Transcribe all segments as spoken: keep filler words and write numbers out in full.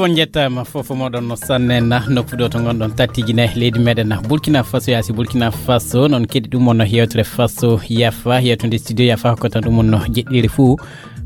On njettaama fof moɗon no sannen na nokku ɗo to ngonɗon tattiji ne leydi meɗen na Burkina Faso, yaasi Burkina Faso. Noon keɗi ɗum on no yewtere Faso Yafa, yewtude studio Yafa ko tan ɗum on no jeɗɗiri fuu.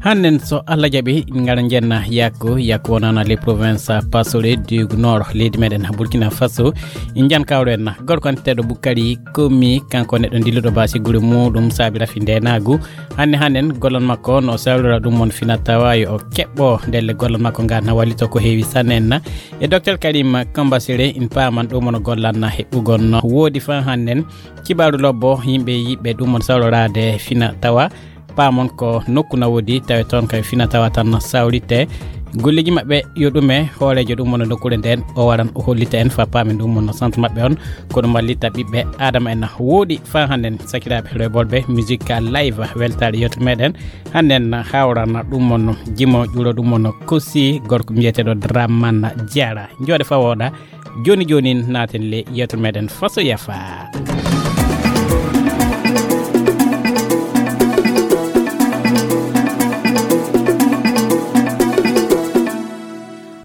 Hannen so Allah jaɓi, ngara njenna yakko, yakko wonana les provinces Pasore du Nord, leydi meɗen Burkina Faso. Njan kawren na gorko anteɗo Bukari Komi, kanko neɗɗo dilluɗo basi gure muɗum saabi rafi ndenagu. Hanne hannen gollal makko no sawlira ɗum on fina tawa yo o keɓɓo ndelle gollal makko ngal na wallito ko heewi sannen na. E Docteur Karim Kambasire in paaman ɗum on gollan na heɓɓugol no woodi fa hannen. Kibaru lobbo yimɓe yiɓɓe ɗum on sawloraade fina tawa. Paamon ko nokku na woodi tawe toon kay fina tawa tan sawrite. Golleji maɓɓe yo ɗume hooreejo ɗum on nokkuure nden o waran o hollita en fa paamen ɗum on no centre maɓɓe on. Ko ɗum wallita ɓiɓɓe Adama en na woodi fa hannen sakiraaɓe reɓolɓe musique live weltaare yewtere meɗen. Hannen hawrana ɗum on jimo ƴuuro ɗum on kosi gorko mbiyeteɗo Dramane Diarra. Jooɗe fa wooɗa. Jooni jooni naaten le yewtere meɗen Faso Yafa.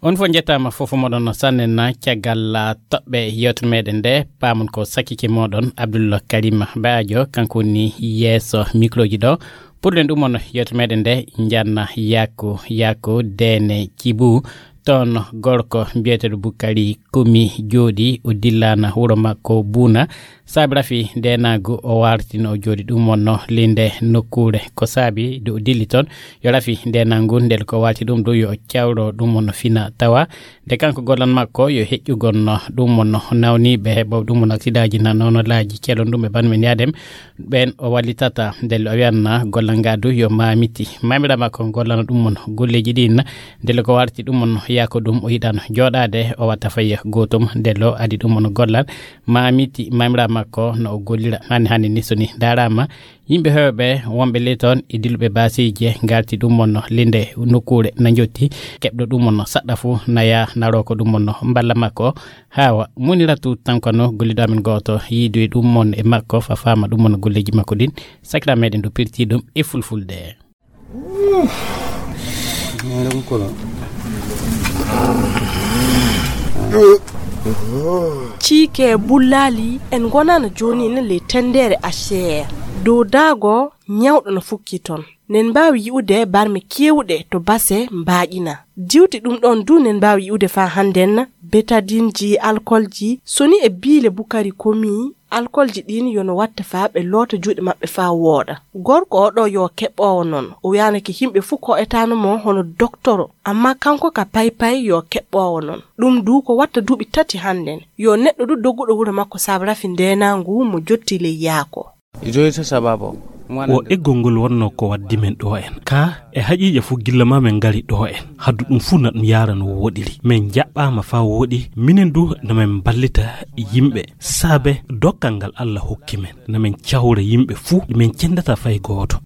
On fof njettaama fof moɗon no sannen na caggal toɓɓe yewtere meɗen nde. Paamon ko sakike moɗon Abdul Karim Bajo, kanko woni yeeso microji ɗo. Puɗɗen ɗum on yewtere meɗen nde, njanna yaako yaako dene cibu toon gorko mbiyeteɗo Bukari Komi jooɗi o dillana wuro makko Buna. Saabi rafi ndenagu o wartino o jooɗi ɗum on no linde nokkuure. Ko saabi de o dilli toon yo rafi ndenagu ndel ko warti ɗum ɗo yo cawro ɗum on no fina tawa. Nde kanko gollal makko yo heƴƴugol no ɗum on no nawniiɓe heɓɓo ɗum on aksidaaji na noonolaaji kelon ɗum e banmen yaadem. Ɓen o wallitata ndelle o wiyanna gollal ngal du yo mamiti mamira makko gollana ɗum on golleji ɗin. Ndelle ko warti ɗum on yaako ɗum o yiɗano jooɗaade o watta fayya gootum ndelle o adi ɗum on gollal mamiti mamira makko no o gollira. Hannde hannde ni so ni darama yimɓe heewɓe wonɓe ley toon e dilluɓe baasiiji ngarti ɗum on linde nokkuure na jotti keɓɗo ɗum on saɗɗa fuu na yaa naroo ko ɗum on mballa makko. Hawa muniratu tankano golliɗo amen gooto yiidu e ɗum mon e makko fa faama ɗum mon golleji makko ɗin. Sakira meɗen ɗo pirti ɗum e fulfulde. Ciike bullaali en ngonano jooni ne ley tendeere Acer dow daago ñawɗo no fukki ton. Nen mbaawi yi'ude barme keewɗe to base mbaaƴina. Diwti ɗum ɗoon du nen mbaawi yi'ude faa hannden betadinji alkolji soni e biile bukari komi. Alkolji ɗiin yo no watta faa ɓe loota juuɗe maɓɓe faa wooɗa. Gorko oo ɗoo yo keɓɓoowo noon o wiyaanake yimɓe fuu ko'etaano mo hono doktoro amma kanko ka paypay yo keɓɓoowo noon. Ɗum du ko watta duuɓi tati hannden. Yo neɗɗo du dogguɗo wuro makko saabu rafi ndeenaangu mo jotti ley yaako. O eggol ngol wonnoo ko waddi men ɗoo en. Kaa e haqiiqa fof gilla maa men ngari ɗoo en, haddu ɗum fof na ɗum yaara no wooɗiri. Men njaɓɓaama faa wooɗi, minen du na men mballita yimɓe. Saabe dokkal ngal Alla hokki men, na men cawra yimɓe fof, men cendata fay gooto.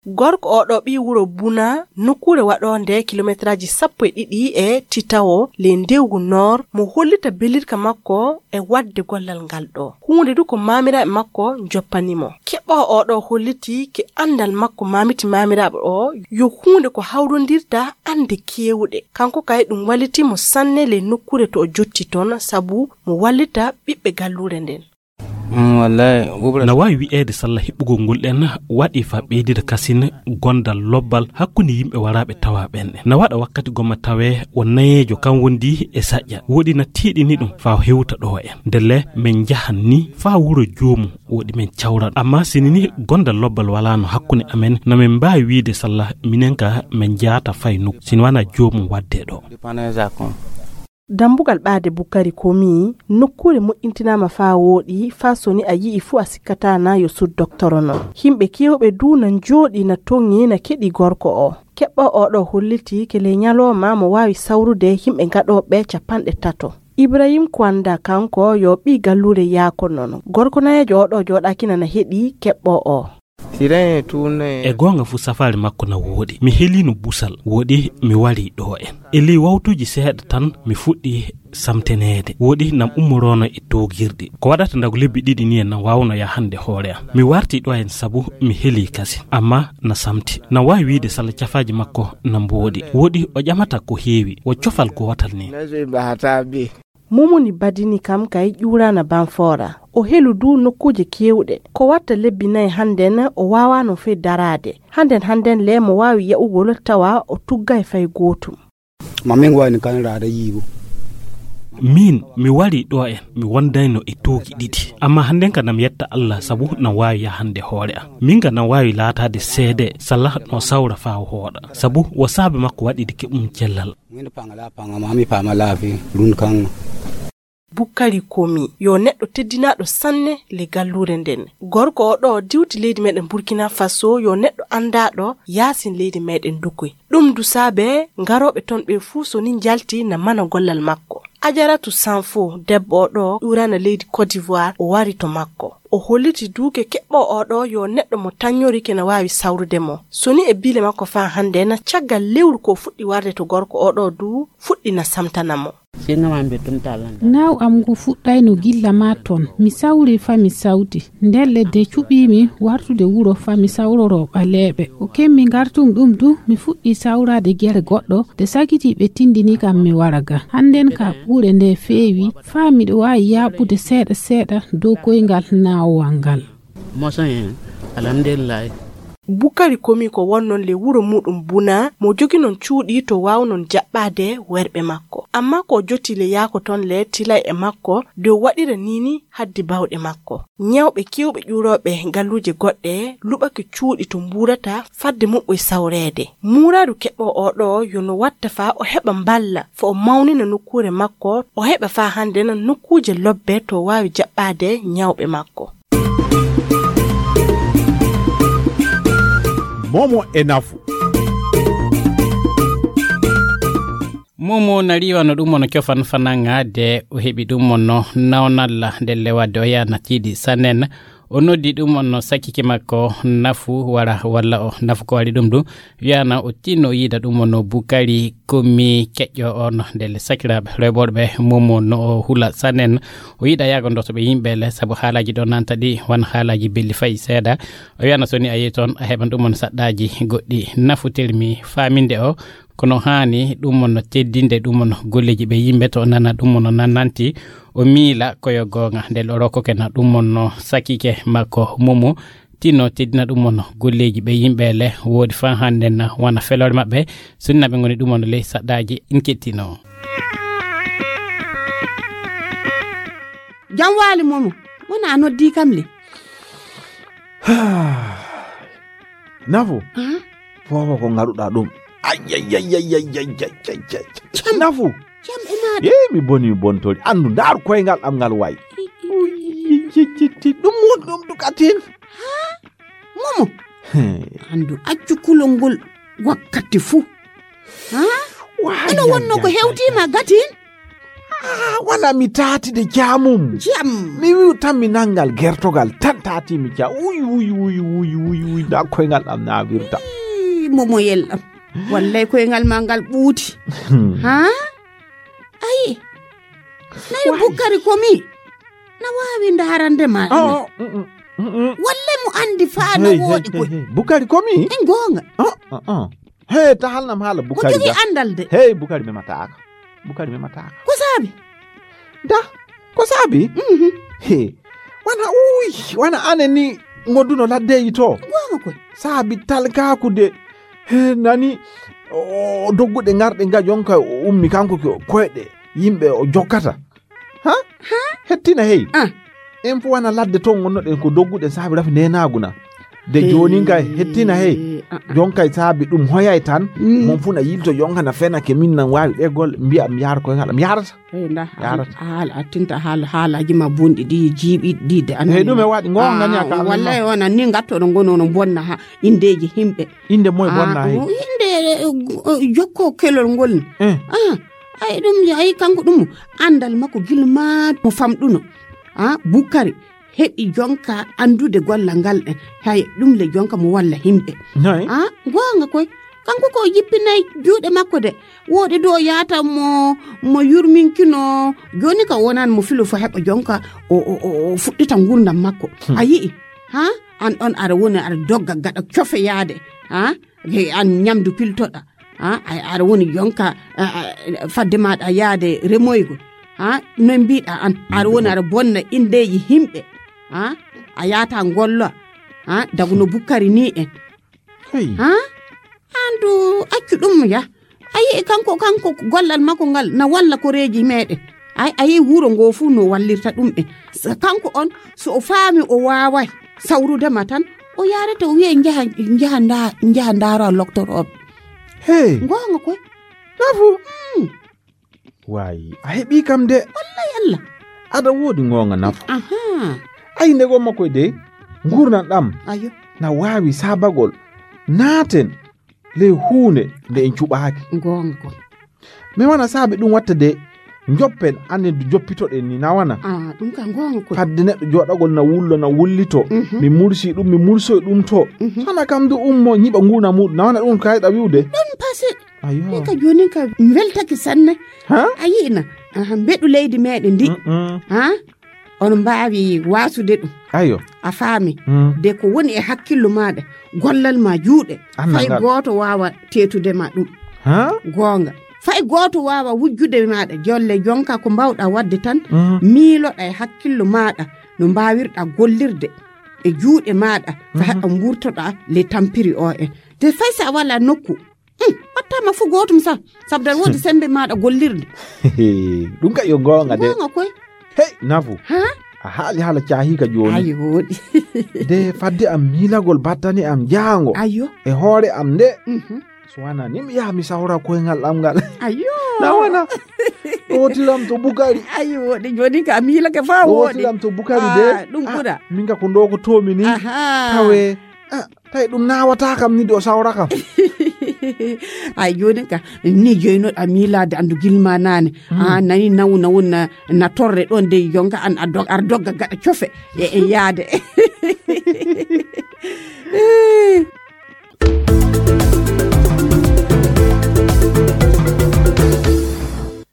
Gorko oo ɗoo ɓii wuro Buna, nokkuure waɗoonde kilometeraaji sappo e ɗiɗi e Titawo ley ndewgu Noor, mo hollita belirka makko e waɗde gollal ngal ɗoo. Huunde du ko maamiraaɓe makko njoppani mo. Keɓɓoowo oo ɗoo hollitii ke anndal makko maamiti maamiraaɓe oo yo huunde ko hawrondirta annde keewɗe. Kanko kay ɗum wallitii mo sanne ley nokkuure to o jotti toon sabu mo wallita ɓiɓɓe galluure nden. Na waawi wi'eede salla heɓɓugol ngol ɗen waɗi faa ɓeydida kasin gondal lobbal hakkunde yimɓe waraaɓe tawaa ɓen ɗen. Na waɗa wakkati gomma tawee o nayeejo kan wondi e saƴƴa. Woɗi na tiiɗini ɗum faa hewta ɗoo en. Ndelle men njahan ni faa wuro joomum woɗi men cawra ɗum. Amma sini ni gondal lobbal walaano hakkunde amen na men mbaawi wi'ude salla minen ka men njaata fay nokku sini wanaa joomum waddee ɗoo. Dammbugal ɓaade Bukari Komi, nokkuure moƴƴintinaama faa wooɗi, faa so ni a yi'i fuu a sikkataa na yo sud doktoro non. Yimɓe keewɓe duu na njooɗii na toŋi na keɗii gorko oo. Keɓɓo oo ɗoo hollitii ke ley ñalooma mo waawi sawrude yimɓe gaɗooɓe capanɗe tato. Ibrahim Kwanda kanko yo ɓii galluure yaako non. Gorko nayeejo oo ɗoo jooɗaaki na na heɗii keɓɓo oo. Siren e tuunne. E goonga fuu, safaari makko na wooɗi. Mi heliino busal, wooɗi mi wari ɗo en. E ley wawtuuji seeɗa tan, mi fuɗɗi samteneede. Wooɗi nam ummoroono e toogirɗi. Ko waɗata ndago lebbi ɗiɗi ni en, nam waawno yahande hoore am. Mi warti ɗo en sabu mi heli kasin. Amma na samti. Na waawi wiide sala cafaaji makko na mbooɗi. Wooɗi o ƴamata ko heewi. O cofal gootal ni. Nazo e bahata be. Momoni badini kam kay ƴuuraana Banfoora. O helu du nokkuuje keewɗe. Ko watta lebbi nayi hannden o waawaano fey daraade. Hannden hannden le mo waawi yaɓugol tawa o tuggaay fay gootum. Ma min wayni kan raada yiibu. Min, mi wari ɗo en, mi wondayno e toogi ɗiɗi. Amma hannden ka nam yetta Allah sabu nam waawi yahande hoore am. Min ka nam waawi laataade seede, sala no sawra faa o hooɗa. Sabu wo saabe makko waɗi de keɓum cellal. Min panga la panga ma mi pama la fi run kan. Bukkari Komi, yo neɗɗo teddinaaɗo sanne le galluure nden. Gorko o ɗo diwti leydi meɗen Burkina Faso, yo neɗɗo andaaɗo yaasin leydi meɗen Dukoy. Ɗum du saabe ngarooɓe ton ɓe fuu so ni njalti na mana gollal makko. Ajaratu Sanfo, debbo o ɗo ƴuurana leydi Côte d'Ivoire, o wari to makko. O holliti duuke keɓɓo o ɗo yo neɗɗo mo taññori ke na waawi sawrude mo. So ni e biile makko faa hannde na caggal lewru ko fuɗɗi warde to gorko o ɗo du fuɗɗi na samtana mo. Naw am ngu fuɗɗayno gilla ma ton. Mi sawri fa mi sawti. Nden ledde cuɓiimi wartude wuro fa mi sawroro ɓaleeɓe. O kemmi ngartum ɗum du, mi fuɗɗi sawraade gere goɗɗo. De sakiti ɓe tindini kam mi wara ga. Hannden ka ɓuure nde feewi, faa miɗo waawi yaaɓude seeɗa seeɗa dow koyngal naawowal ngal. Mosan en, alhamdulillahi. Bukari Komi ko wonnon le wuro muɗum Buna, mo joginon cuuɗi to waawnon jaɓɓaade werɓe makko. Amma ko joti le yaako ton le tilay e makko, de o waɗira nini haddi bawɗe makko. Ñawɓe kewɓe ƴuurooɓe galluuje goɗɗe luɓake cuuɗi to mbuurata fadde muɓɓoy sawreede. Muuraadu keɓɓo o ɗo yo no watta faa o heɓa mballa, fo o mawnina nokkuure makko, o heɓa faa hannde na nokkuuje lobbe to waawi jaɓɓaade ñawɓe makko. Momo e nafu. Momo na riiwa no ɗum mono cofan fananga de o heɓi ɗum mono nawnalla ndelle wadde o yana tiiɗi sannen. O noddi ɗum mono sakiki makko nafu wara walla o nafu ko waɗi ɗum ɗum. Wiyana o tinno yiida ɗum mono Bukari Komi keƴƴo on ndelle sakiraaɓe rewɓorɓe Momo no o hula sannen. O yiɗa yaago ndotoɓe yimɓe le sabu haalaaji ɗo nanta ɗi wan haalaaji belli fayi seeɗa. O wiyana so ni a yehi toon a heɓan ɗum mono saɗɗaaji goɗɗi nafu termi faaminde o. Kono haani ɗum mono teddinde ɗum mono golleeji ɓe yimɓe to nana ɗum mono nananti o miila koyo goonga nde o rokkokena ɗum mono sakike makko Momo tinno teddina ɗum mono golleeji ɓe yimɓe le woodi faa hannde na wona feloore maɓɓe sunnaɓe ngoni ɗum mono ley saɗɗaaji in kettino. Jam waali Momo, wona a noddi kam le. Nafu. Fofo ko ngaɗuɗa ɗum. Ayayayayayayayayayay. Nafu. Jam e maɗa. Ee mi boni mi bontori anndu ndaaru koyngal am ngal wayi. Ɗum woni ɗum dukatin. Momo. Anndu accu kulol ngol wakkati fuu. Ino wonno ko hewtima gatin. Ah, wona mi taati de jaamum. Jam. Mi wi'u tan mi nangal gertogal tan taati mi ja. Uy, uy, uy, uy, uy, uy, nda koyngal am na wirta. Ii, momoyel am. Wallay koyngal ma ngal ɓuuti. Ha? Ayi. Nayo Bukkari Komi. Na waawi ndarande ma. Oh, mm, mm, mm, mm. Wallay mo andi faa na woodi koy. Bukkari Komi? En goonga. Oh, oh, oh. Hey, ta halnam haala Bukari. Mo jogi andal de. Hey, Bukari memataaka. Bukari memataaka. Ko saabi? Da, ko saabi? Mhm. He, wana uy, wana ane ni ngoduno laddeyi to. Goonga koy. Saabi talkaaku de. He, nani, o dogguɗe ngarɗe nga jonka o ummi kanko ko koyɗe yimɓe o jokkata. Ha? Ha? Hettina hey. Ah. En fu wana ladde ton ngonnoɗen ko dogguɗen saabi rafi nenaagu na. De jonin kay hettina hey. Ah, ah. Jon kay saabi ɗum hoyay tan. Mm. Mon fu na yilto jon kana fena ke min nan waawi ɗe golle mbiya mi yaara koy ngal mi yaarata. Hey, nda Yaarata. Haala attinta haala haalaaji ma bonɗi ɗi jiiɓi ɗi de an. Hey, ɗum e waɗi ngon nani aka. Wallahi on anni ngattoɗo ngono no bonna ha indeji himɓe. Inde moy bonna hey. Inde eh, jokko kelol ngol. Eh. Ah. Ay ɗum ay kanko ɗum andal makko gilma mo famɗuno. Ah, Bukkari. heɓi jonka anndude gollal ngal ɗen. Hay ɗum le jonka mo walla himɓe. Noy? Ah, goonga koy. Kanko ko jippinay juuɗe makko de. Wooɗi do yaata mo, mo yurminkino. Jooni ka wonan mo filo fo heɓa jonka o, o, o, o fuɗɗita ngurdam makko. Hmm. A yi'i? Ha? An ɗon aɗa woni aɗa dogga gaɗa cofe yaade. Ha? He an ñamdu piltoɗa. Ha? A, aɗa woni jonka, a, a, fadde maɗa yaade remoygo. Ha? Noy mbiɗa an? Aɗa woni aɗa bonna indeji himɓe. Ha? A yaata ngollo. Ha? Daguno bukkari ni en. Hey. Ha? Andu accu ɗum ya. A yi'i kanko, kanko gollal makko ngal na walla koreeji meɗen. Ay, a yi'i wuro ngo fuu no wallirta ɗum en. Sa-, kanko on, so o faami o waaway sawrude ma tan, o yaarata o wi'a njaha, njaha nda-, njaha ndaara loktorooɓe. Hey. Goonga koy. Nafu. Mm. Waayi, a heɓi kam de. Wallay Allah. Aɗa woodi goonga Nafu. Aha. Ay, nde gomma koy de, ngurndan ɗam. Ayo. Na waawi saabagol. Naaten le huunde nde en cuɓaaki. Goonga koy. Mi wana saabe ɗum watta de, joppen annen du joppitoɗen ni na wana. Ah, ɗum ka goonga koy. Fadde neɗɗo jooɗagol na wullo, na wullito. Mhm. Mi mursi ɗum, mi mursoy ɗum to. Mhm. Hana kam du ummo ñiɓa nguna muɗum. Na wana ɗum kayɗa wi'ude. Ɗon pasi. Ayo. Min ka jooni ka mi weltake sanne. Ha? A yi'na. Aha, mbeɗu leydi meɗen ndi. Mm-mm. Ha? On mbaawi waasude ɗum. Ayo. A faami. Mm. De ko woni e hakkillo maɗa, gollal ma juuɗe. Annal ngal. Fay gooto waawa teetude ma ɗum. Ha? Goonga. Fay gooto waawa wujjude maɗa. Jolle jonka ko mbawɗa wadde tan, mm, miiloɗa e hakkillo maɗa no mbawirɗa gollirde e juuɗe maɗa. Fa, mhm, haɗa mburtoɗa le tampiri o en. De fay sa wala nokku. Hmm, wattama fu gootum sa. Sabda woodi sembe maɗa gollirde. Ɗum ka yo goonga de. Goonga koy. Hey, Nafu. Ha? A haali haala caahi ka jooni. Ayo, woodi. De fadde am miilagol battane am jaango. Ayo. E hoore am nde. Mhm. So wana ni mi yaha mi sawra koyngal am ngal. Ayo. Na wana. Ɗootiram to Bukari. Ayo, woodi. Jooni ka miilake fa woodi. Ɗootiram to Bukari de. Ah, ɗum ɓura. Min ka ko ndo ko toomi ni. Aha. Tawe. Ah, tawi ɗum naawata kam ni de o sawra kam. Ay, jooni ka, ni joynoɗa miilaade anndu gilma naane. Hmm. Ah, nani nawu, nawu na, na torre ɗon de jonka an a dog-, ar dogga gaɗa cofe. E, e yaade.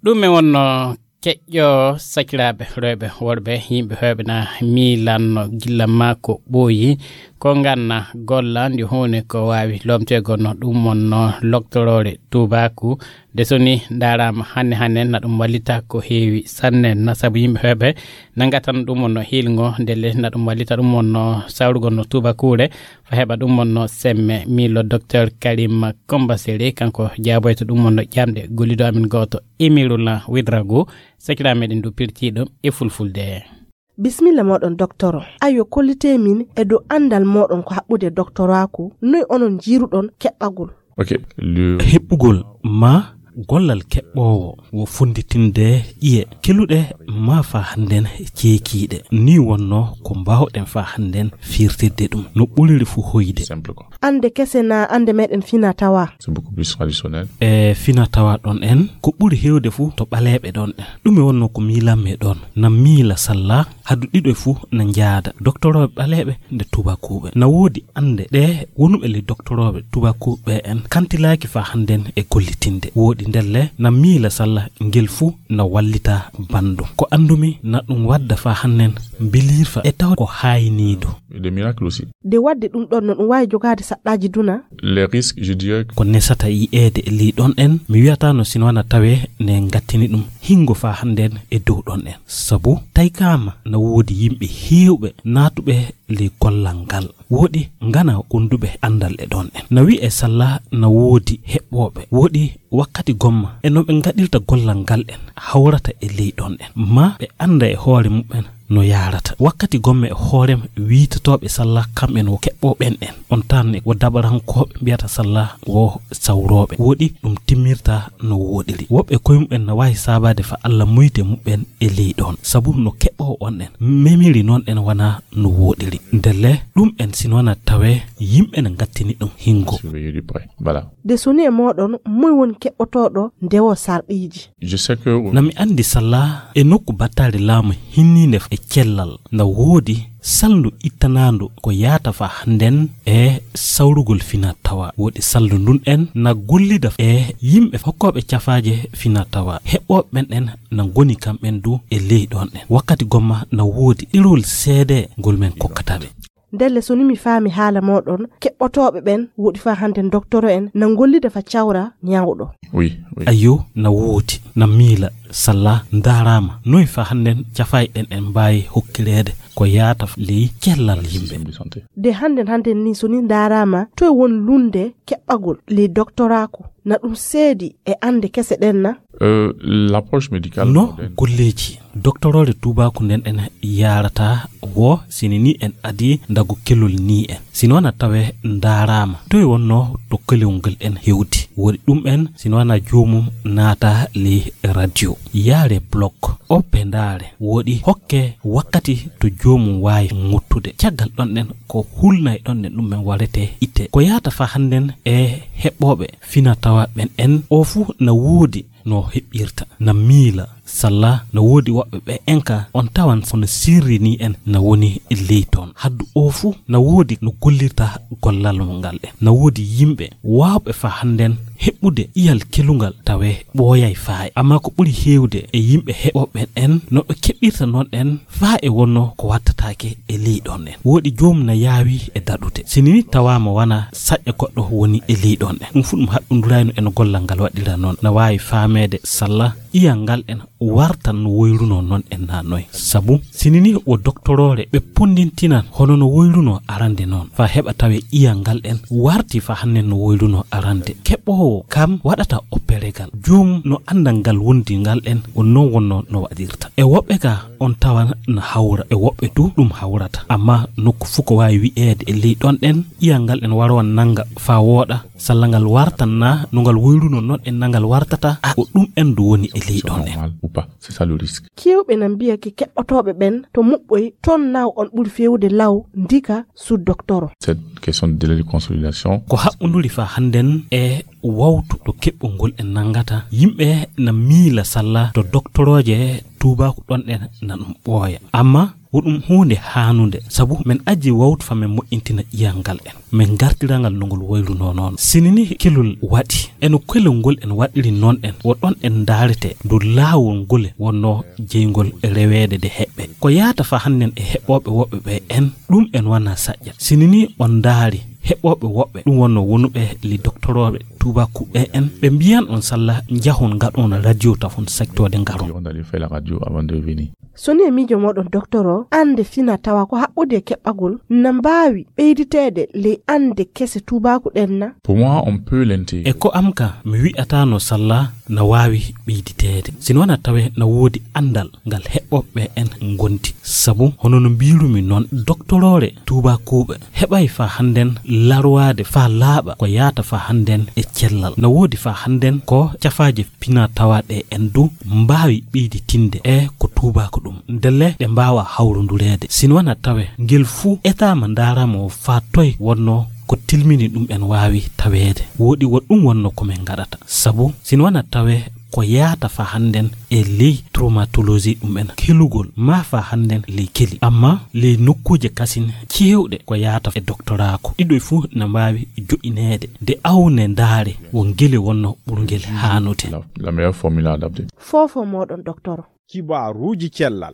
Ɗum e wonno keƴƴo sakiraaɓe rewɓe worɓe, yimɓe heewɓe na miilanno gilla maa ko ɓooyi, ko nganna golla ndi huunde ko waawi lomteego no ɗum wonno loktoroore tuubaaku. De so ni ndaaraama hannde hannde na ɗum wallita ko heewi sanne na sabu yimɓe heewɓe na ngatano ɗum wonno hiilngo ndelle na ɗum wallita ɗum wonno sawrugol no tuubakuure. Fa heɓa ɗum wonno semme, miilo Docteur Karim Kombaseri, kanko jaaboyta ɗum wonno ƴamɗe gollido amin gooto, Emirula Widrago, sakira meɗen du pirtiiɗo e fulfulde. Bismilla moɗon, doktoro. Ayo, kollite min e dow anndal moɗon ko haɓɓude doktoraaku, noy onon njiiruɗon keɓɓagol? Ok, le- Heɓɓugol ma gollal keɓɓoowo wo fonnditinde ƴiye keluɗe ma fa hannden ceekiiɗe. Ni wonno ko mbaawɗen fa hannden firtirde ɗum no ɓuriri fu hoyde. Simple quoi. Annde kese na annde meɗen fina tawa? C'est beaucoup plus traditionnel. E fina tawa ɗon en, ko ɓuri heewde fu to ɓaleeɓe ɗon en. Ɗum e wonno ko miilanmi ɗon. Na miila salla hadu ɗiɗo e fu na njaada. Doktorooɓe ɓaleeɓe nde tubakuuɓe. Na woodi annde ɗe wonuɓe le doktorooɓe tubakuuɓe en kantilaaki fa hannden e gollitinde. Woodi ndelle na miila salla ngel fu na wallita banndum. Ko anndumi na ɗum wadda fa hannden mbilirfa e taw ko haayniido. Des miracles aussi. De wadde ɗum ɗon no ɗum waawi jogaade saɗɗaaji duna? Les risques, je dirais que ko nesata yi'eede e ley ɗon en, mi wiyata no sino wana tawe ne ngattini ɗum hingo fa hannden e dow ɗon en. Sabu taykaama na woodi yimɓe heewɓe naatuɓe ley gollal ngal. Woodi ngana gonduɓe anndal e ɗon en. Na wi'e salla na woodi heɓɓooɓe. Woodi wakkati gomma e no ɓe ngaɗirta gollal ngal en hawrata e ley ɗon en. Ma ɓe annda e hoore muɓɓen no yaarata. Wakkati gomma e hoorem wiitotooɓe salla kamɓen wo keɓɓooɓen en. On tan wo dabarankooɓe mbiyata salla wo sawrooɓe. Woodi ɗum timmirta no wooɗiri. Woɓɓe koye muɓɓen na waawi saabaade fa Alla moyte muɓɓen e ley ɗon. Sabu no keɓɓoowo on en memiri noon en wana no wooɗiri. Ndelle ɗum en sino wana tawe yimɓe na ngattini ɗum hingo. Surveiller de près. Voilà. De soni e moɗon, moy woni keɓɓotooɗo ndewo sarɗiiji? Je sais que na mi anndi salla e nokku battaari laamu hinniinde cellal. Na woodi salndu ittanaandu ko yaata faa hannden e sawrugol fina tawa. Woodi salndu ndun en na gollida e yimɓe hokkooɓe cafaaje fina tawa. Heɓɓooɓe ɓen en na ngoni kamɓen du e ley ɗon en. Wakkati gomma na woodi ɗerol seede ngol men kokkata ɓe. Ndelle, so ni mi faami haala mooɗon, keɓɓotooɓe ɓen woodi faa hannden doktoro en na ngollida fa cawra ñawɗo. Oui, oui. Ayyo, na woodi, na miila, salla, ndaaraama. Noy faa hannden cafaaje ɗen en mbaawi hokkireede ko yaata ley cellal yimɓe? De hannden, hannden ni, so ni ndaaraama, toy won lunnde keɓɓagol ley doktoraaku? Na ɗum seedi e annde kese ɗen na? Euh, l'approche médicale No golleeji doktoroore tuubaaku nden en yaarata wo, sini ni en adii ndagu kelol ni en. Sino na tawe ndaaraama, toy wonno to kelol ngol en hewti? Woodi ɗum en, sino na joomum naata ley radio, yaare blog, oppe ndaare, woodi hokke wakkati to joomum waawi ŋottude. Caggal ɗon en ko hulnay ɗon en ɗum en warete itte. Ko yaata faa hannden e heɓɓooɓe fina tawa ɓen en, o fuu na woodi no heɓɓirta, na miila, salla, na woodi woɓɓe ɓe en ka on tawan kono sirri ni en na woni ley ton. Haddu o fuu na woodi no gollirta gollal mo ngal en. Na woodi yimɓe waawɓe faa hannden heɓɓude iyal kelungal tawe ɓooyay faay. Amma ko ɓuri heewde e yimɓe heɓɓooɓe en no ɓe keɓɓirta non en faa e wonno ko wattataake e ley ɗon en. Woodi joomum na yaawi e daɗude. Sini ni tawaama wana saƴƴa goɗɗo woni e ley ɗon en. Ɗum fuu ɗum haɗɗundurayno e no gollal ngal waɗira non. Na waawi faameede salla iyal ngal en wartan no woyrunoo non en na noy. Sabu sini ni wo doktoroore ɓe ponndintinan hono no woyrunoo arande non. Faa heɓa tawe iyal ngal en warti faa hannden no woyrunoo arande. Keɓɓoowo kam waɗata opperegal. Joomum no annda ngal wondi ngal en wo non wonno no waɗirta. E woɓɓe ka on tawan na hawra, e woɓɓe du ɗum hawrata. Amma nokku fuu ko waawi wi'eede e ley ɗon en, iyal ngal en warowan nanga faa wooɗa, salla ngal wartan na no ngal woyrunoo non en na ngal wartata, a, ko ɗum en du woni e ley ɗon en. Normal ou pas, c'est ça le risque. Keewɓe na mbiya ke keɓɓotooɓe ɓen to muɓɓoy ton naw on ɓuri feewde law ndika su doktoro. Cette question de délai de consolidation. Ko haɓɓunduri faa hannden e wawtu to keɓɓol ngol en nangata, yimɓe na miila salla to doktorooje tuubaaku ɗon en na ɗum ɓooya. Amma wo ɗum huunde haanunde, sabu men ajji wawtu faa men moƴƴintina iyal ngal en. Men ngartira ngal no ngol woyrunoo non. Sini ni kelol waɗi, e no kelol ngol en waɗiri non en, wo ɗon en ndaarete dow laawol ngol wonno jeyngol reweede de heɓɓe. Ko yaata faa hannden e heɓɓooɓe woɓɓe ɓe en, ɗum en wana saƴƴa. Sini ni on ndaari heɓɓooɓe woɓɓe, ɗum wonno wonuɓe li doktorooɓe tuubaaku ɓe en, ɓe mbiyan on salla njahon ngaɗon radio tafon secteur de ngaron. On allait faire la radio avant de venir. So ni e miijo mooɗon, doktoro, annde fina tawa ko haɓɓude e keɓɓagol na mbaawi ɓeyditeede ley annde kese tuubaaku ɗen na? Pour moi, on peut l'intégrer. E ko am ka, mi wi'ataano salla na waawi ɓeyditeede. Sino na tawe na woodi anndal ngal heɓɓooɓe en ngondi. Sabu, hono no mbiirumi non, doktoroore tuubaakuuɓe heɓay faa hannden larwaade faa laaɓa ko yaata faa hannden e cellal. Na woodi faa hannden ko cafaaje pina tawa ɗe en du mbaawi ɓeyditinde e ko tuubaako ɗum. Ndelle ɗe mbaawa hawrondureede. Sino na tawe ngel fuu etaama ndaaramo faa toy wonno ko tilmini ɗum en waawi taweede. Woodi wo ɗum wonno ko men ngaɗata. Sabu sino na tawe ko yaata faa hannden e ley traumatologie ɗum en kelugol, maa faa hannden ley keli. Amma ley nokkuuje kasin keewɗe ko yaata e doktoraaku. Ɗiɗo fuu na mbaawi jo'ineede. De awne ndaare wo ngele wonno ɓurngel haanude. La, la meilleure formule à adapter. Foofo mooɗon, doktoro. Kibaaruuji cellal.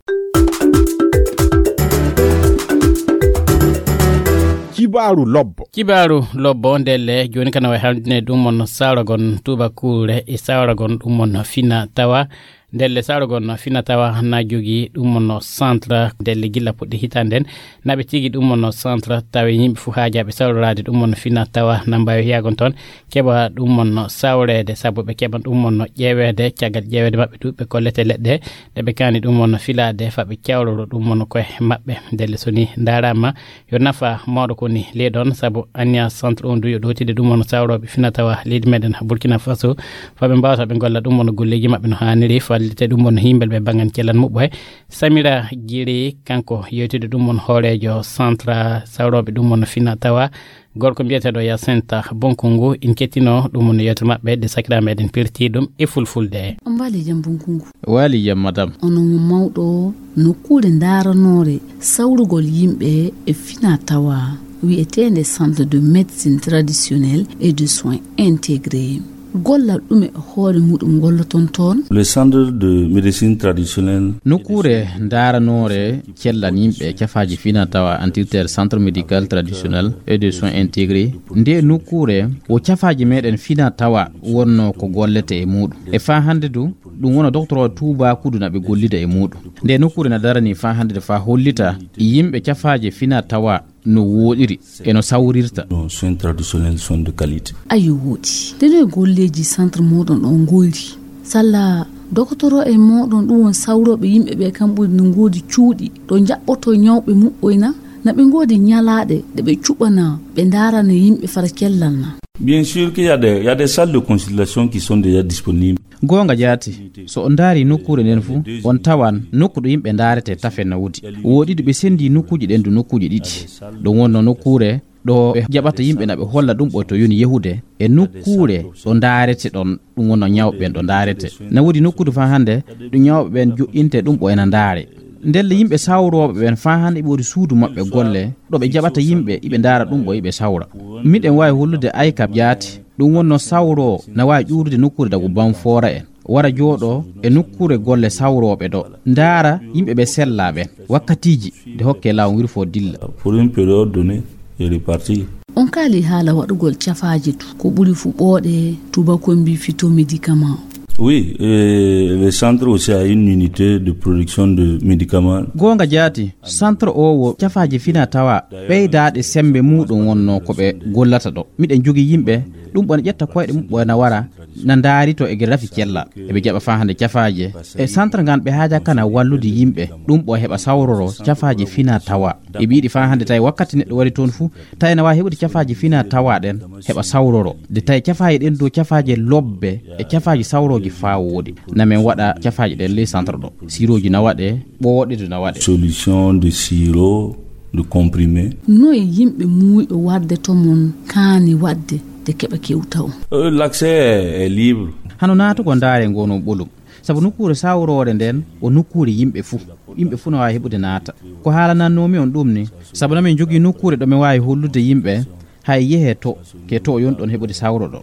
Kibaaru lobbo. Kibaaru lobbo ndelle jooni kana way haldine ɗum mon sawragon tubakuure e sawragon ɗum mon fina tawa. Ndelle sawragon fina tawa na jogi ɗum mon centre ndelle gilla puɗɗi hitande nden. Naɓe tigi ɗum mon centre tawe yimɓe fu haajaɓe sawrorade ɗum mon fina tawa na mbawi yagon toon keɓa ɗum mon sawreede sabu ɓe keɓan ɗum mon ƴeeweede caggal ƴeeweede maɓɓe ɗuɓɓe kollete leɗɗe ɗe ɓe kaani ɗum mon filaade fa ɓe cawroro ɗum mon koye maɓɓe. Ndelle so ni ndaarama yo nafa mawɗo ko ni ley ɗon sabu anniya centre on du yo ɗowtide ɗum mon sawrooɓe fina tawa leydi meɗen Burkina Faso fa ɓe mbawata ɓe golla ɗum mon golleji maɓɓe no haaniri fa Te ɗum won himbel ɓe bangan celan muɓɓo e Samira Jiri, kanko yewtide ɗum won hooreejo centre sawrooɓe ɗum won fina tawa gorko mbiyeteeɗo Yasinta Bonkungu. In kettino ɗum won yewte maɓɓe de sakira meɗen pirti ɗum e fulfulde. On mbaali jam Bonkungu. Waali jam madam. Onon mawɗo nokkuure ndaaranoore sawrugol yimɓe e fina tawa wi'eteende Centre de Médecine Traditionnelle et de Soins Intégrés. Gollal ɗume hoore muɗum golloton toon? Le centre de médecine traditionnelle. Nokkuure ndaaranoore cellan yimɓe e cafaaji fina tawa, antirteeɗo Centre Médical Traditionnel et de Soins Intégrés. Nde nokkuure wo cafaaji meɗen fina tawa wonno ko gollete e muɗum. E faa hannde du, ɗum wona docteur o Tuubaakudu na ɓe gollida e muɗum. Nde nokkuure na darani faa hannde de faa hollita yimɓe cafaaji fina tawa no wooɗiri e no sawrirta. Nos soins traditionnels sont de qualité. Ayo wooɗi. Nde no e golleeji centre moɗon ɗon goyri? Salla dokotoro e moɗon ɗum won sawrooɓe yimɓe ɓe kam ɓuri no ngoodi cuuɗi ɗo jaɓɓoto ñawɓe muɓɓoyna? Na ɓe ngoodi ñalaaɗe ɗe ɓe cuɓana ɓe ndaarana yimɓe fara cellal na? Bien sûr qu'il y a des, il y a des salles de consultation qui sont déjà disponibles. Goonga jaati, so on ndaari nokkuure nden fuu, on tawan nokku ɗo yimɓe ndaarete tafe na woodi. Wooɗi ɗo ɓe sendi nokkuuji ɗen du nokkuuji ɗiɗi. Ɗum wonno nokkuure ɗo ɓe jaɓata yimɓe na ɓe holla ɗum ɓoy to yoni yehude, e nokkuure ɗo ndaarete ɗon, ɗum wonno ñawɓe ɓen ɗo ndaarete. Na woodi nokkuure faa hannde ɗo ñawɓe ɓen joɗɗinte ɗum ɓoy na ndaare. Ndelle yimɓe sawrooɓe ɓen faa hannde ɓe woodi suudu maɓɓe golle, ɗo ɓe jaɓata yimɓe, iɓe ndaara ɗum ɓoy iɓe sawra. Miɗen waawi hollude Aykab jaati, ɗum wonno sawroo na waawi ƴuurude nokkuure dagu Banfoora en. Wara jooɗo e nokkuure golle sawrooɓe ɗo. Ndaara yimɓe ɓe sellaa ɓen. Wakkatiiji nde hokke laawol wirfo dilla. Pour une période donnée, et repartir. On kaali haala waɗugol cafaaji du, ko ɓuri fu ɓooɗe, tubakoɓe mbi phytomédicament. Oui, euh, le centre aussi a une unité de production de médicaments. Goonga jaati, centre o wo cafaaji fina tawa ɓeydaaɗe sembe muɗum wonno ko ɓe gollata ɗo. Miɗen jogii yimɓe, ɗum ɓe na ƴetta koyɗe muɓɓo na wara, na ndaarito e gere rafi cella. Eɓe jaɓa faa hannde cafaaje. E centre ngan ɓe haaja kana wallude yimɓe, ɗum ɓo heɓa sawroro cafaaje fina tawa. E ɓiiɗi faa hannde tawi wakkati neɗɗo wari toon fuu, tawi na waawi heɓude cafaaje fina tawa ɗen, heɓa sawroro. De tawi cafaaje ɗen dow cafaaje lobbe e cafaaje sawrooje faa wooɗi. Na men waɗa cafaaje ɗen ley centre ɗo. Sirooji na waɗe, ɓooɗe du na waɗe. Solution de sirop, de comprimé. Noye yimɓe muuyɓe warde to mon kaani waɗde de keɓa kewta on? Euh, l'accès est libre. Hano naatugo ndaare ngo no ɓolum. Sabu nokkuure sawroore nden o nokkuure yimɓe fuu. Yimɓe fuu no waawi heɓude naata. Ko haalanannoomi on ɗum ni, sabu na men jogii nokkuure ɗo men waawi hollude yimɓe, hay yehe to, ke to yon ɗon heɓude sawro ɗo.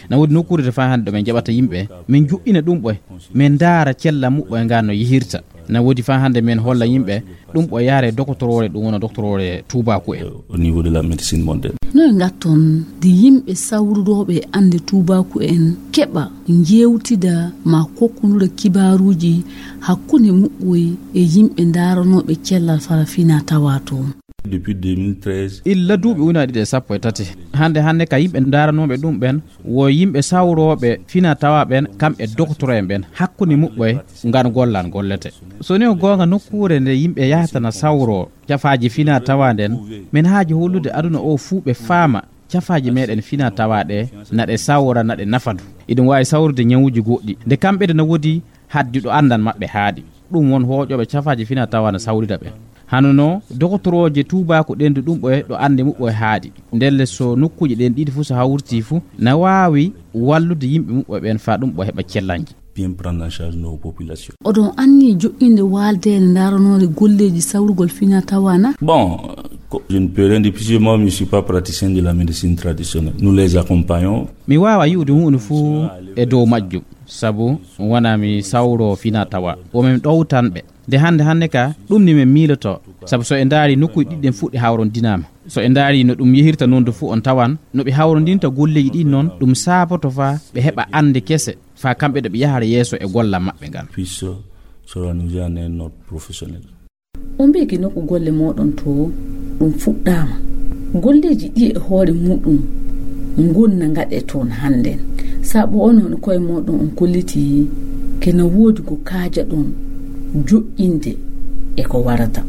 Na woodi nokkuure to faa hannde ɗo men jaɓata yimɓe, men joɗɗina ɗum ɓoy, men ndaara cella muɓɓoy ngaan no yehirta. Na woodi faa hannde men holla yimɓe, ɗum ɓoy yaare dokotoroore, ɗum wona dokotoroore tuubaaku en. Au niveau de la médecine mondaine. Noye ngatton de yimɓe sawrudooɓe annde tuubaaku en keɓa njeewtida ma kokkundura kibaaruuji hakkunde muɓɓoy e yimɓe ndaaranooɓe cellal fara fina tawa to? Depuis deux mille treize. Illa duuɓi ujunaaji ɗiɗi e sappo e tati. Hannde hannde ka yimɓe ndaaranooɓe ɗum ɓen, wo yimɓe sawrooɓe fina tawa ɓen, kam e dokotoro en ɓen, hakkunde muɓɓoy ngan gollan gollete. So ni o goonga nokkuure nde yimɓe yahata na sawro cafaaji fina tawa nden, men haaji hollude aduna o fuu ɓe faama cafaaji meɗen fina tawa ɗe, na ɗe sawra, na ɗe nafa du. Iɗum waawi sawrude ñawuuji goɗɗi. Nde kamɓe de na woodi haddi ɗo anndan maɓɓe haaɗi. Ɗum won hooƴooɓe cafaaji fina tawa na sawrida ɓe. Hano no dokotorooje tuubaaku ɗen du ɗum ɓoye ɗo annde muɓɓoye haaɗi. Ndelle so nokkuuje ɗen ɗiɗi fuu so hawriti fuu, na waawi wallude yimɓe muɓɓoye ɓen faa ɗum ɓo heɓa cellanji. Bien prendre en charge nos populations. Oɗon anni joƴƴinde waaldeende ndaaranoore golleeji sawrugol fina tawa na? Bon, euh, je ne peux rien dire puisque moi je ne suis pas praticien de la médecine traditionnelle. Nous les accompagnons. Mi waawa yi'ude huunde fuu e dow majjum, sabu wona mi sawro fina tawa. Wo min ɗowtan ɓe. Nde hannde hannde ka, ɗum ni min miiloto. Sabu so en ndaari nokkuuji ɗiɗi ɗen fuɗɗi hawrondinaama. So en ndaari no ɗum yehirta noon du fuu on tawan, no ɓe hawrondinta golleeji ɗin noon, ɗum saaboto faa ɓe heɓa annde kese, faa kamɓe ɗo ɓe yahara yeeso e golla maɓɓe ngan. Puisse s'organiser en un ordre professionnel. On mbiyi ki nokku golle mooɗon to ɗum fuɗɗaama. Golleeji ɗi e hoore muɗum ngon na ngaɗe toon hannden. Sabu onon e koye mooɗon on kolliti ke na woodi ko kaajaɗon joƴƴinde e ko warata.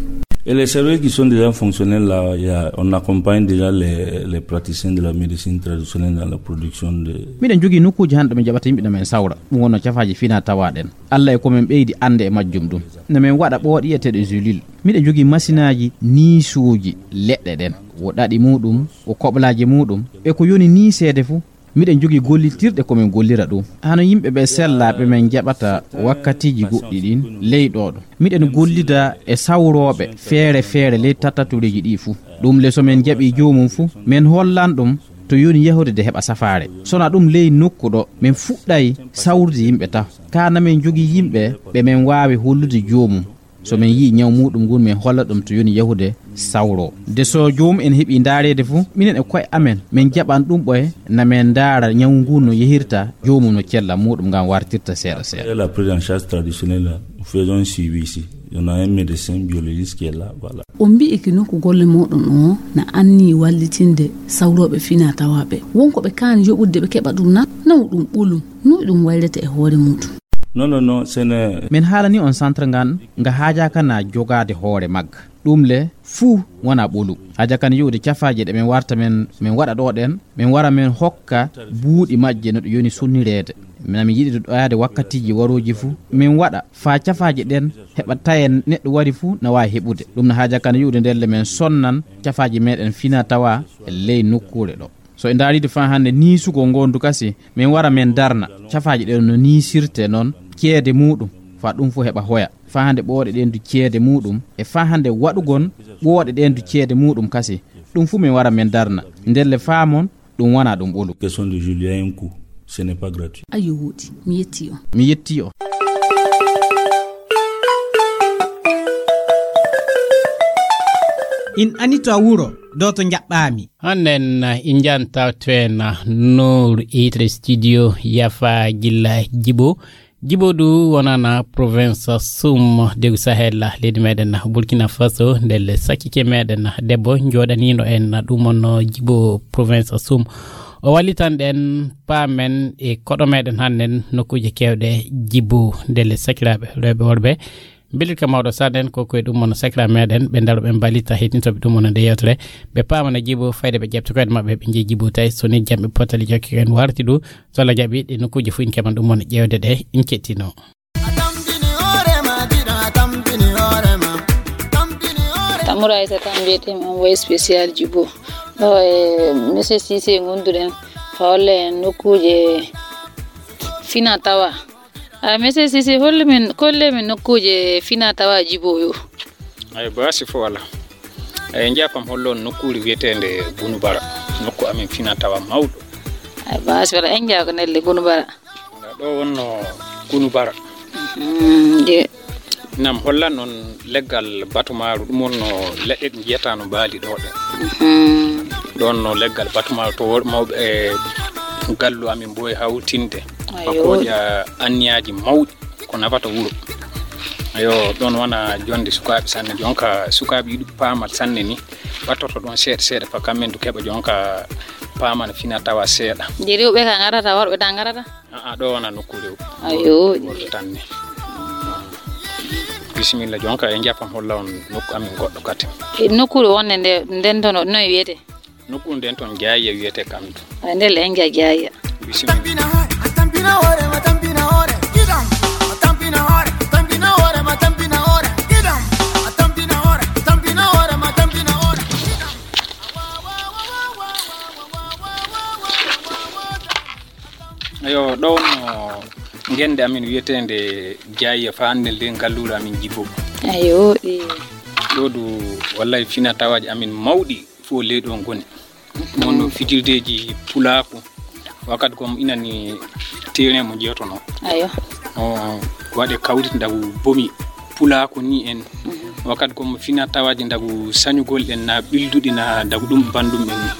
Et les services qui sont déjà fonctionnels là, il y a, on accompagne déjà les, les praticiens de la médecine traditionnelle dans la production de. Miɗen jogii nokkuuji hannde ɓe jaɓata yimɓe na men sawra. Ɗum wonno cafaaji fina tawa ɗen. Allah e ko men ɓeydi annde e majjum ɗum. Na men waɗa ɓooɗe yiyeteeɗe gelule. Miɗen jogii masinaaji niisuuji leɗɗe ɗen. Wo ɗaɗi muɗum, wo koɓlaaji muɗum, e ko yoni niiseede fuu. Miɗen jogii gollitirɗe ko men gollira ɗum. Hano yimɓe ɓe sellaaɓe men jaɓata wakkatiiji goɗɗi ɗin ley ɗoo ɗo. Miɗen gollida e sawrooɓe feere feere ley tattatureeji ɗii fuu. Ɗum le so men jaɓii joomum fuu, men hollan ɗum to yoni yahude de heɓa safaare. Sona ɗum ley nokku ɗo, men fuɗɗay sawrude yimɓe taho. Kaa na men jogii yimɓe ɓe men waawi hollude joomum. So men yi'i ñaw muɗum ngun, men holla ɗum to yoni yahude sawro. De so joomum en heɓii ndaareede fuu, minen e ko'e amen, men jaɓan ɗum ɓoye, na men ndaara ñaw ngun no yehirta, joomum no cella muɗum ngam wartirta seeɗa seeɗa. Et la prise en charge traditionnelle, là, nous faisons un suivi ici. On a un médecin biologiste qui est là, voilà. On mbi'i ki nokku golle moɗon o na anni wallitinde sawrooɓe fina tawaaɓe. Wonko ɓe kaani yoɓude ɓe keɓa ɗum na, naw ɗum ɓolum, no ɗum waylete e hoore muɗum. Non, non, non, ce n'est. Min haalani on centre ngan, nga haajaaka na jogaade hoore magga. Ɗum le, fuu wona ɓolum. Haajaaka na yi'ude cafaaje ɗe min warta min, min waɗa ɗo ɗen, min wara min hokka buuɗi majje no ɗe yoni sunnireede. Min, min yiɗi ɗo ɗoyaade wakkatiiji warooji fuu, min waɗa faa cafaaje ɗen heɓa taye neɗɗo wari fuu na waawi heɓude. Ɗum na haajaaka na yi'ude nden le min sonnan cafaaji meɗen fina tawa e ley nokkuure ɗo. So en ndaariide faa hannde niisugol ngondu kasi, min wara min darna cafaaji ɗen no niisirte non ceede muɗum, faa ɗum fuu heɓa hoya. Faa hannde ɓooɗe ɗen du ceede muɗum, e faa hannde waɗugol ɓooɗe ɗen du ceede muɗum kasi, ɗum fuu min wara min darna. Ndelle faamon, ɗum wona ɗum ɓolu. Question de Julien, un coup. Ce n'est pas gratuit. Ayo woɗi, mi yetti on. Mi yetti on. In anito a wuro, do to njaɓɓaami. Hannen in janta to en Nour Itre studio yafa gilla Jibo. Jibo du wonana province Sum degu Sahel leydi meɗen Burkina Faso, ndelle sakkike meɗen debbo joɗanino en ɗum on Jibo province Sum. O wallitan ɗen paamen e koɗo meɗen hannen nokkuuje kewɗe Jibo, ndelle sakiraaɓe rewɓe worɓe. Belirka mawɗo saɗen ko koye ɗum on sakira meɗen ɓe ndaru ɓe mbalita heɗintoɓe ɗum on nde yewtere. Ɓe paamana Jibo fayde ɓe ƴeɓta koyɗe maɓɓe ɓe jeyi Jibo tawi so ni jamɓe potali jokke en warti du. So Allah jaɓi ɗe nokkuuje fof in keɓan ɗum on ƴeewde ɗe in kettino. Tamura Aysata mbiyetemi envoyé spécial Jibo. Ɗo e monsieur Cissé ngonduɗen. Fa holle en nokkuuje fina tawa. A monsieur Cissé, holle min, kolle min nokkuuje fina tawa Jibo yo. Ay baasi fof wala. Ay njaapam hollo on nokkuure wiyeteende Gunubara. Nokku amin fina tawa mawɗo. Ay baasi wala en njaako nelle Gunubara. Ɗo wonno Gunubara. Mm, je. Nam hollan on leggal batumaaru, ɗum wonno leɗɗe ɗe njiyata no mbaali ɗo ɗe. Mm. Ɗon no leggal batumaaru to wor-, mawɓe e gallu amin mboy hawtinde. Ayo. Bakooja anniyaaji mawɗi ko nafata wuro. Ayo, ɗon wona jonde sukaaɓe sanne. Jonka sukaaɓe yiɗi paamal sanne ni. Wattorto ɗon seeɗa seeɗa fa kammen du keɓa jonka paamana fina tawa seeɗa. Je rewɓe ka ngarata, worɓe ta ngarata? A'a, ɗo wona nokku rew. Ayo. Worɓe tan ni. Bisimilla, jonka e njapam holla on nokku amin goɗɗo kadi. E nokkuure wonde nde, nden toon noye wiyete? Nokku nden toon Jaayiya wiyete kam to. Ay, ndelle en nja Jaayiya. Bisimilla. Ayo, ɗo wonno ngennde amin wiyeteende Jaayiya fa hannde nde ngalluure amin Jibo. Ayo, ɗi. Ɗo du, wallay fina tawaaji amin mawɗi fof ley ɗo ngoni. Wonno fijirdeeji pulaaku. Wakkati gom inani terrain mo jeetono. Ayo. O waɗe kawriti ndagu bomi pulaaku ni en. Mhm. Wakkati gom fina tawaaji ndagu sañugol en na ɓilduɗi na ndagu ɗum banndum en.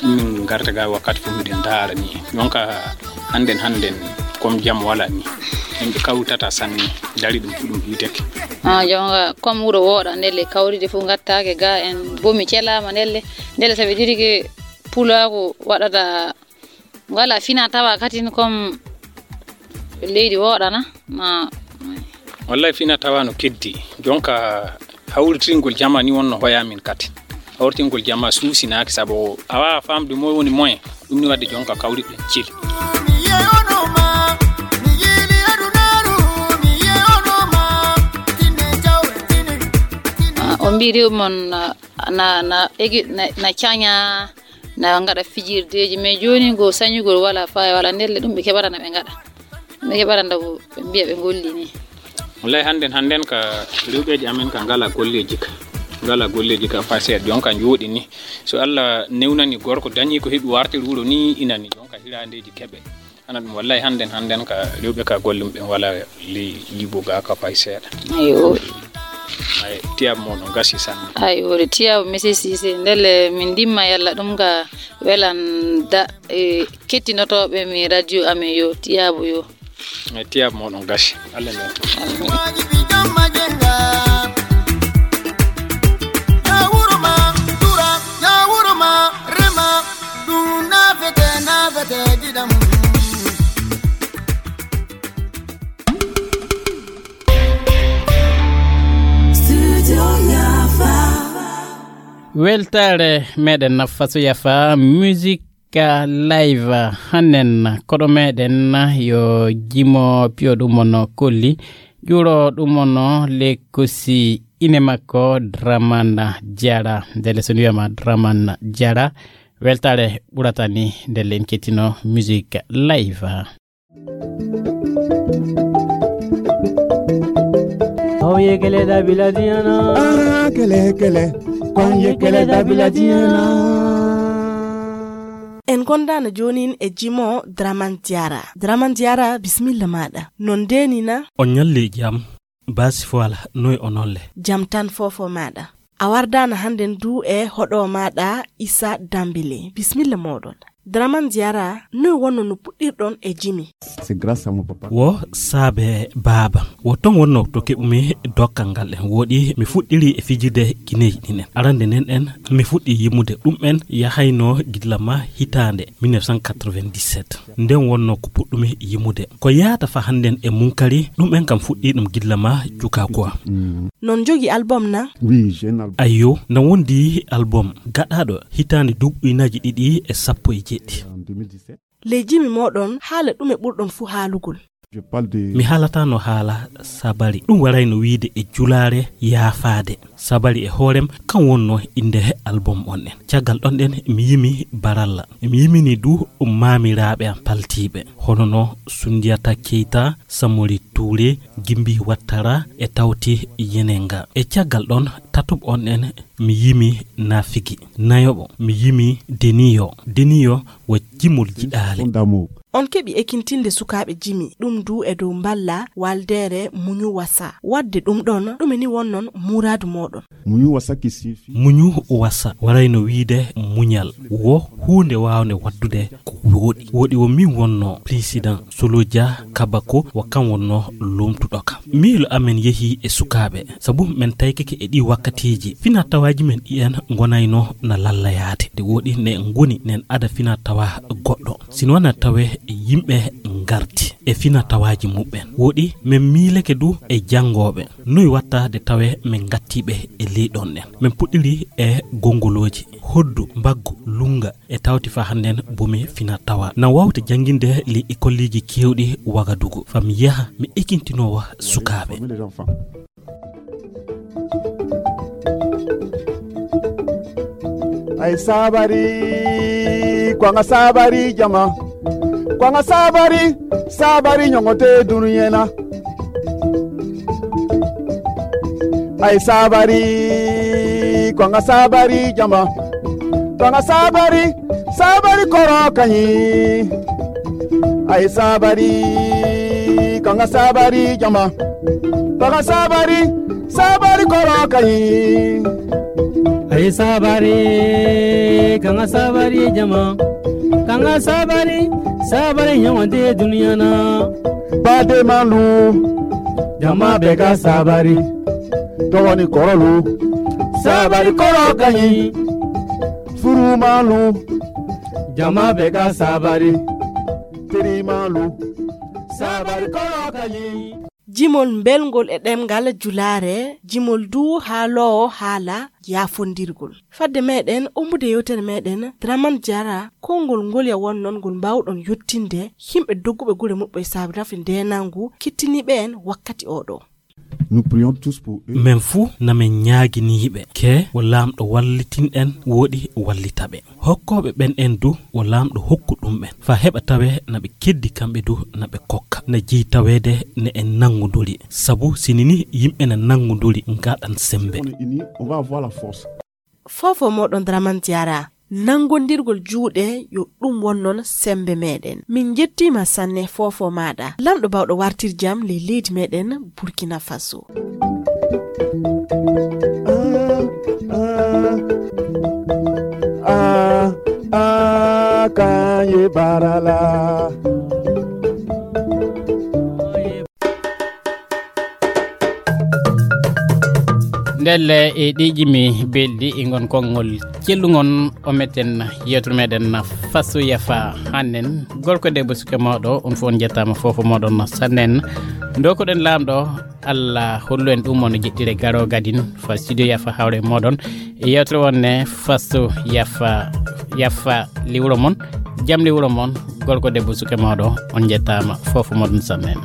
Min ngarta ga wakkati fof miɗen ndaara ni. Jonka hannden hannden kom jam wala ni. Yimɓe kawtata sanne dari ɗum fu ɗum yiteke. Ah, jonka kom wuro wooɗa ndelle kawride fof ngattaake ga en bomi celaama ndelle. Ndelle sabi dirike pulaaku waɗata ngala fina tawa katin kom leydi wooɗana ma. Wallay fina tawa no keddi. Jonka Hawritingol jama ni wonno hoya min kadi. Hawritingol jama suusinaaki, sabu a waawaa faamde moy woni moyen. Ɗum ni wadde jonka kawriɗen celi. Ah, on mbii rewɓe mon na, na, na, egi-, na, na caña, na ngaɗa fijirdeeji, mais jooni ngo sañugol wala faaya wala ndelle, ɗum ɓe keɓata na ɓe ngaɗa. Ɓe keɓata ndaw ɓe mbiya ɓe ngolli ni. Wallahi, hannden, hannden ka rewɓeeji amen ka ngala golleeji ka. Ngala golleeji ka faa seeɗa. Jonka njooɗi ni. So Allah newnani gorko dañi ko heɓi wartir wuro ni, ina ni jonka hiraandeeji keɓe. Ana ɗum wallahi, hannden, hannden ka rewɓe ka golle muɓɓen wala li yibuga ka fay seeɗa. Ayo. Ay, tiyab mo ɗum gasi sanne. Ay, wori tiyab, monsieur Cissé. Ndelle min ndimma yalla ɗum ga welan da, e, kettinotooɓe mi radio amen yo tiyabu yo. E tiyab mo ɗum gasi. Allah ne. Weltaare meɗen Nafaso Yafa, musique live hannen. Koɗo meɗen yo jimo piyo ɗum ono kolli, ƴuro ɗum ono lekkosi ine makko Draman Jara. Ndele so wiyama Draman Jara, weltaare ɓurata ni ndele en kettino musique live. Aw ye kele da biladiana. Ah, kele, kele. Kon ye kele da biladiana. En gondaana joonin e jimo Draman Diara. Draman Diara, bismilla maɗa. Non denina. On ñalli jam. Basi Fuala, noy onolle? Jam tan fofo maɗa. A wardaana hannden du e hoɗo maɗa Issa Dambele. Bismilla moɗon. Draman Diara, noy wonno no puɗɗirɗon e jimi? C'est grâce à mon papa. Wo saabe baaba. Wo ton wonno to keɓumi dokkal ngal en. Woɗi mi fuɗɗiri e fijirde gineeji ɗin en. Arande nden en, mi fuɗɗi yimude ɗum en yahayno gilla ma hitaande mille neuf cent quatre-vingt-dix-sept. Nden wonno ko puɗɗumi yimude. Ko yaata fa hannden e munkari, ɗum en kam fuɗɗi ɗum gilla ma cuka quoi. Non jogi album na? Oui, j'ai un album. Ayyo, na wondi album gaɗaɗo hitaande duuɓi ujunnaaji ɗiɗi e sappo e jeeɗiɗi. En deux mille dix-sept. Ley jimi moɗon, haala ɗume ɓurɗon fuu haalugol? Je parle de. Mi haalatano haala sabari. Ɗum warayno wiide e julaare yaafaade. Sabari e hoorem, kan wonno innde album on ɗen. Caggal ɗon ɗen, mi yimi baralla. Mi yimini du maamiraaɓe am paltiiɓe. Hono no Sundiata Keita, Samori Touré, Gimbi Wattara e Tawti Yenenga. E caggal ɗon, tatuɓe on ɗen, mi yimi Nafigi. Nayoɓo, mi yimi Deniyo. Deniyo wo jimol jiɗaale. On keɓi ekintinde sukaaɓe jimi, ɗum du e dow mballa waldeere Muñu Wasa. Wadde ɗum ɗon, ɗume ni wonnon muraadu moɗon? Muñu Wasa qui signifie. Muñu Wasa warayno wiide muñal. Wo huunde waawnde waddude ko wooɗi. Wooɗi wo min wonno président Soloja Kabako wo kan wonno lomtuɗo kam. Miilo amen yehi e sukaaɓe, sabu men taykeke e ɗi wakkatiiji. Fina tawaaji men ɗi en ngonayno na lallayaade. Nde wooɗi ne ngoni nen ada fina tawa goɗɗo. Sino na tawe yimɓe ngarti e fina tawaaji muɓɓen. Wooɗi men miileke du e janngooɓe. Noy watta de tawe men ngattiiɓe e ley ɗon ɗen. Men puɗɗiri e gongolooji, hoddu, mbaggu, lunga e tawti fa hannden bomi fina tawa. Na wawta jannginde ley ikolleeji keewɗi Wagadugu. Fa mi yaha mi ekintinowa sukaaɓe. Ay sabari, kwanga sabari jama. Kwanga sabari, sabari nyongote dunuyena. Ay sabari, kwanga sabari jama. Kwanga sabari, sabari koro kanyi. Ay sabari, kwanga sabari jama. Kwanga sabari, sabari koro kanyi. Ay sabari, kanga sabari jama. Kanga sabari, sabari nyawande duniya na. Bade malu, jama beka sabari. Tɔgɔ ni kɔrɔlu, sabari kɔrɔ ka ɲi. Furu malu, jama beka sabari. Teri malu, sabari kɔrɔ ka ɲi. jimol mbelngol e ɗemngal julaare, jimol duu haaloowo haala yaafondirgol. Fadde meɗen ummude yewtere meɗen, Draman Jara, konngol ngol ya wonnon ngol mbaawɗon yottinde yimɓe dogguɓe gure muɓɓe saabi rafi ndeenangu kittiniiɓe en wakkati oɗo. Nous prions tous pour eux. Men fuu na men ñaagini yiɓe ke wo laamɗo wallitin en wooɗi wallitaɓe hokkooɓe ɓen en du wo laamɗo hokku ɗum ɓen fa heɓa tawe na ɓe keddi kamɓe du na ɓe kokka na jeyi taweede ne en nanngunduri sabu sini ni yimɓe na nanngunduri ngaɗan sembe. On est unis, on va avoir la force. Fofo moɗon Draman Diara. Nanngondirgol juuɗe yo ɗum won noon semmbe meɗen. Min njettiima sanne fofo maɗa. Lamɗo bawɗo wartir jam ley leydi meɗen Burkina Faso. Ah, ah, kanye barala. Ndelle e ɗi jimi belɗi e ngon konngol cellungon o metten yewtere meɗen faso yafa hannen gorko debbo suke mawɗo on fof on jettama fofo moɗon sannen dokoɗen lamɗo allah hollu en ɗum on jeɗɗire garo gadin fa studio yafa hawre moɗon e yewtere wonne faso yafa yafa liwro mon jam liwro mon gorko debbo suke mawɗo on jettama fofo moɗon sannen.